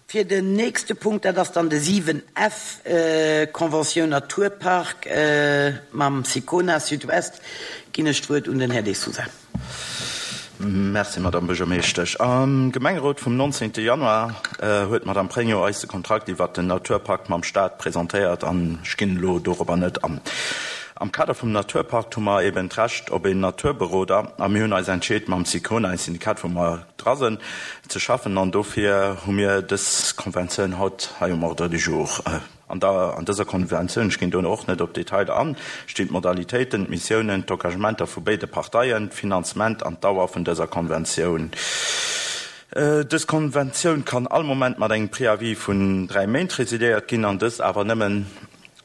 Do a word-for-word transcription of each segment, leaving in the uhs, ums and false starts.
Fir den nächste Punkt, dat ass dann de siwen F, Conventioun Naturpark mam Sicona Sud-Ouest, ginn ech d'Wuert un den Här De Sousa. Merci, Madame Buergermeeschtesch. Am Gemengerot vum nonzéngte Januar huet d'Madame Pregno eis de Kontrakt iwwert den Naturpakt mam Staat presentéiert an ech ginn elo dorobber net an. Am Kader vum Naturpakt hu mer eben d'Recht op een Naturberoder a mir hunn eis entscheet mam Sicona, e Syndikat wou mer dra sinn, ze schaffen an dofir hu mir dës Konventioun haut hei um Ordre du jour. An der an dëser Konventioun, ech ginn do och net op d'Detailer an, stinn d'Modalitéiten, d'Missiounen, d'Engagementer vu béide Parteien, d'Finanzement an d'Dauer vun dëser Konventioun. Dës Konventioun kann all Moment mat engem Préavis vun dräi Méint resiliéiert ginn an dëst awer nëmmen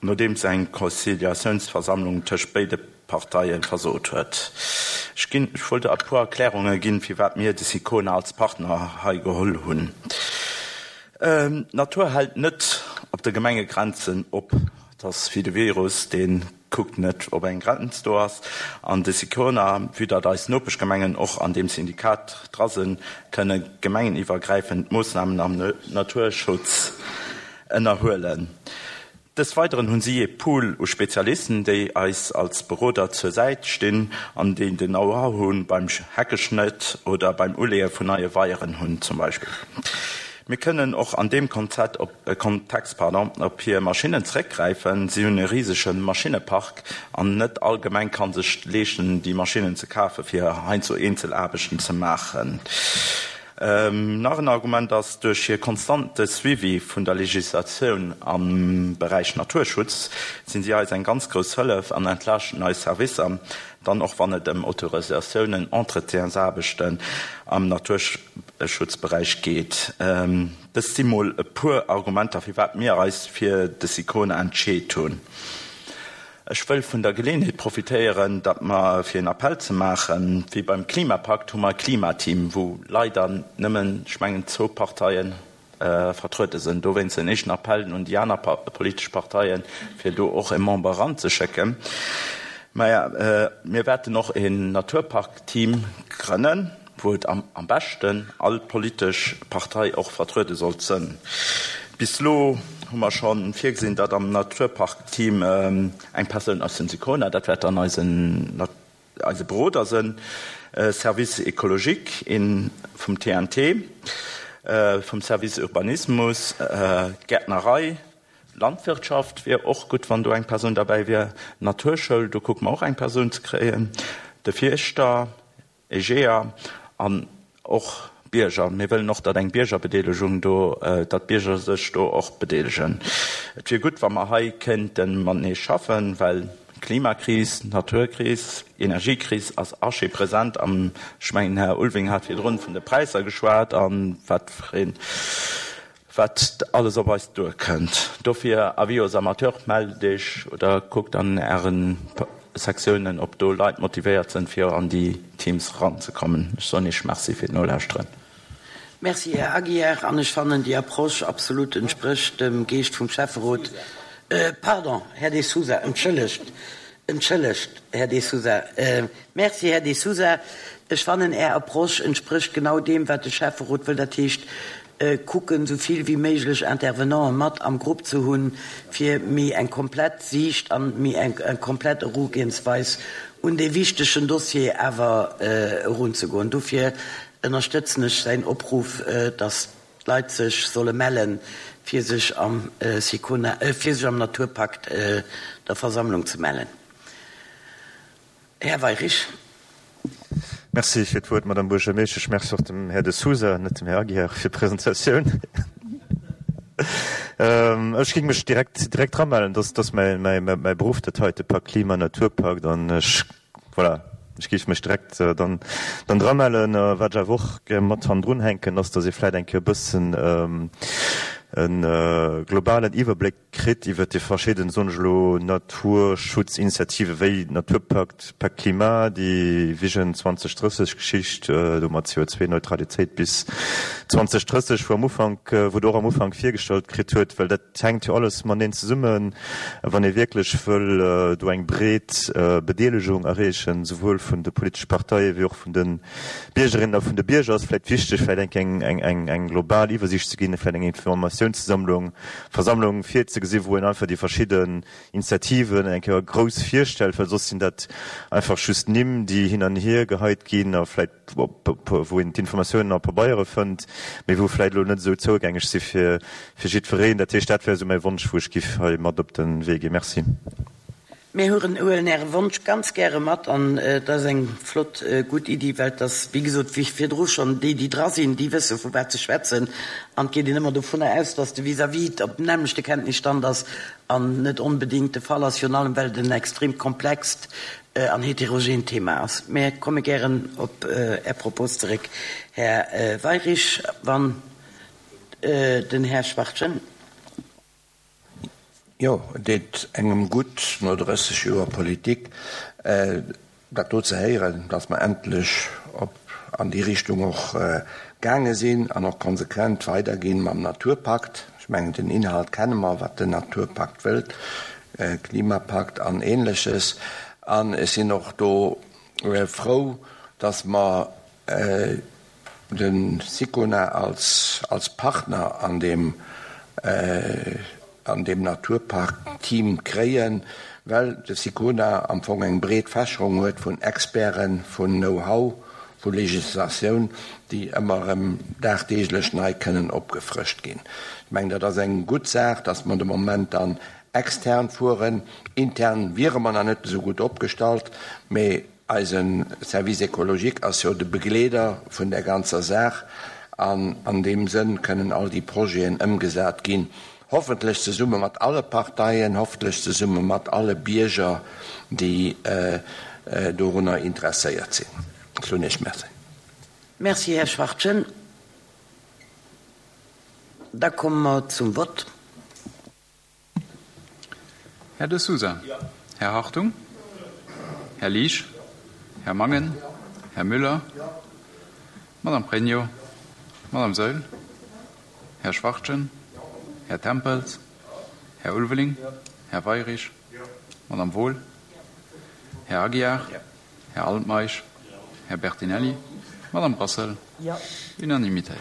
nodeems eng Conciliatiounsversammlung tëscht béide Parteie versot huet. Ech ginn, ech wollt e puer Erklärunge ginn, firwat mir de Sicona als Partner hei geholl hunn. D'Natur hält net op de Gemengegrenzen op. Et ass wéi de Virus, dee kuckt net, ob eng Grenz do ass. An de Sicona, vue datt eis Nopeschgemengen och an deem Syndikat dra sinn, kënne gemengeniwwergräifend Moossnamen am Naturschutz ënnerhuelen. Des Weideren hunn si ee Pool u Spezialisten, déi eis als Beroder zur Säit stinn an déi den Know-how hunn beim Heckeschnëtt oder beim Uleeë vun neie Weieren hunn zum Beispill. Mir kënnen och an deem Konzept op, Kontext, pardon, op hir Maschinnen zeréckgräifen. Si hunn e risege Maschinnepark an net all Gemeng kann sech leeschten, déi Maschinnen ze kafen, fir heiansdo eenzel Aarbechten ze maachen. Nach en Argument ass, duerch hir konstante Suivi vun der Legislatioun am Beräich Naturschutz sinn si eis eng ganz grouss Hëllef an entlaaschten eis Servicer dann och wann et ëm Autorisatiounen, Entretiensaarbechten am Naturschutzberäich geet. Dëst si mol e puer Argumenter firwat mir eis fir de Sicona entscheet hunn. Ech wëll vun der Geleeënheet profitéieren, datt mer, fir en Appell ze maachen, wéi beim Klimapakt hu mer e Klimateam, wou leider nëmmen, ech mengen, zwou Parteie vertruede sinn. Dowéinst en éischten Appell un déi aner politesch Parteien, fir do och e Member eranzeschécken. Maja, mir wäerten och en Naturparkteam grënnen, wou et am beschten all politesch Partei och vertruede sollt sënn. Bis elo hu mer scho virgesinn, datt am Naturparkteam eng Persoun aus dem Sicona, dat wäert dann eisen eise Beroder sënn, Service écologique, een vum T N T, vum Service Urbanismus, Gäertnerei, Landwirtschaft wier och gutt, wann do eng Persoun derbäi wier, Naturschoul, do kucke mer och eng Persoun ze kréien, de Fierschter, Egea an och Bierger. Mir wëllen och, datt eng Biergerbedeelegung do, datt d'Bierger sech do och bedeelegen. Et wier gutt, wa mer hei kéinte matenee schaffen, well Klimakris, Naturkris, Energiekris ass archipresent am, ech mengen, den Här Ulving hat virdrun vun de Präisser geschwat a wat fir een, wat alles op eis duerkënnt. Dofir, avis aux amateurs, mellt Iech oder kuckt an Ären Sektiounen, ob do Leit motivéiert sinn, fir an déi Teams eranzekommen. Ech soen Iech Merci fir d'Nolauschteren. Merci, Här Aguiar. An ech fannen, déi Approche absolut entsprécht dem Geescht vum Schäfferot. Pardon, Här De Sousa, entschëllegt, entschëllegt, Här De Sousa. Merci, Här De Sousa. Ech fannen, Är Approche entsprécht genau deem, wat de Schäfferot wëll, dat heescht, kucken, esou vill wéi méiglech Intervenanten mat am Grupp ze hunn, fir méi eng komplett Siicht an méi eng komplett Erugehensweis un dee wichtegen Dossier awer erunzegoen. Dofir ënnerstëtzen ech säin Opruff, dass d'Leit sech solle mellen, fir sech am Sicona, fir sech am Naturpakt der Versammlung ze mellen. Här Weyrich. Merci fir d'Wuert, Madame Buergermeeschtesch. Merci och dem Här De Sousa, net dem Här Aguiar, fir d'Presentatioun. Ech géing mech direkt, direkt dramellen. Dat ass mäi, mäi, mäi Beruff, dat heite Pak Klima, Naturpakt. An ech, voilà, ech géif mech direkt dann, dann dramellen. Wat ech awer och gär mat hannendrun hänken, ass, dass ee vläicht eng Kéier e bëssen e globalen Iwwerbléck kritt iwwert déi verschidden, soen ech elo, Naturschutzinitiative wéi Naturpakt, Pacte Climat, déi Vision zwanzeg drësseg Geschicht do mat C O zwei Neutralitéit bis zwanzeg drësseg, wou am Ufank, wou Der och am Ufank virgestallt kritt huet, well dat hänkt jo alles mateneen zesummen, wann ee wierklech wëll do eng breet Bedeelegung erreechen, souwuel vun de politesche Parteie wéi och vun de Biergerinnen a vun de Bierger, ass vläicht wichteg, vläicht eng eng eng eng global Iwwersiicht ze ginn, vläicht eng Informatiounssammlung, Versammlung virzegesi wou een einfach déi verschidden Initiativen eng Kéier grouss virstellt, well soss sinn dat einfach just Nimm, déi hin an hier geheit ginn a vläicht wou een d'Informatiounen a Pabeiere fënnt, mee wou vläicht elo net esou zougängeg si fir jiddwereen. Dat heescht, dat wär esou mäi Wonsch, wou ech giff hei mat op de Wee ginn. Merci. Mir huelen Äre Wonsch ganz gäre mat an et ass eng flott, gutt Iddi, well et ass, wéi gesot, wéi virdru schonn, déi, déi dra sinn, déi wësse vu wat se schwätzen an et geet een ëmmer dovunner aus, dass de Vis-à-vis op dem nämmlechte Kenntnisstand ass an net onbedéngt de Fall ass, virun allem well et en extrem komplext an heterogeent Thema ass. Mir komme gären op Är Propos zeréck, Här Weyrich, wann den Här Schwachtgen. Jo, et deet engem gutt, no drësseg Joer Politik, dat do ze héieren, dass mer endlech op an déi Richtung och gaange sinn an och konsequent weiderginn mam Naturpakt. Ech mengen, den Inhalt kenne mer, wat den Naturpakt wëllt, Klimapakt an Ähnleches. An ech sinn och do frou, dass mer de Sicona als als Partner an deem an deem Naturpark-Team kréien, well de Sicona am Fong eng breet Fächerung huet vun Experten, vun Know-how, vu Legislatioun, déi ëmmer erëm dagdeeglech nei kënnen opgefrëscht ginn. Ech mengen, dat ass eng gutt Saach, dass mer de Moment dann extern fueren. Intern wiere mer nach net esou gutt opgestallt, mee eise Service écologique ass jo de Begleeder vun där ganzer Saach an an deem Sënn kënnen all déi Projeten ëmgesat ginn, hoffentlech zesumme mat alle Parteien, hoffentlech zesumme mat alle Bierger, déi dorunner interesséiert sinn. Ech soen Iech Merci. Merci, Här Schwachtgen. Da komme mer zum Vott. Här De Sousa. Här Hartung. Här Liesch. Här Mangen. Här Müller. Madame Pregno. Madame Saeul. Här Schwachtgen. Här Tempels. Här Ulveling. Här Weyrich. Madame Wohl. Här Aguiar. Här Altmeisch. Här Bertinelli. Madame Brassel. Unanimitéit.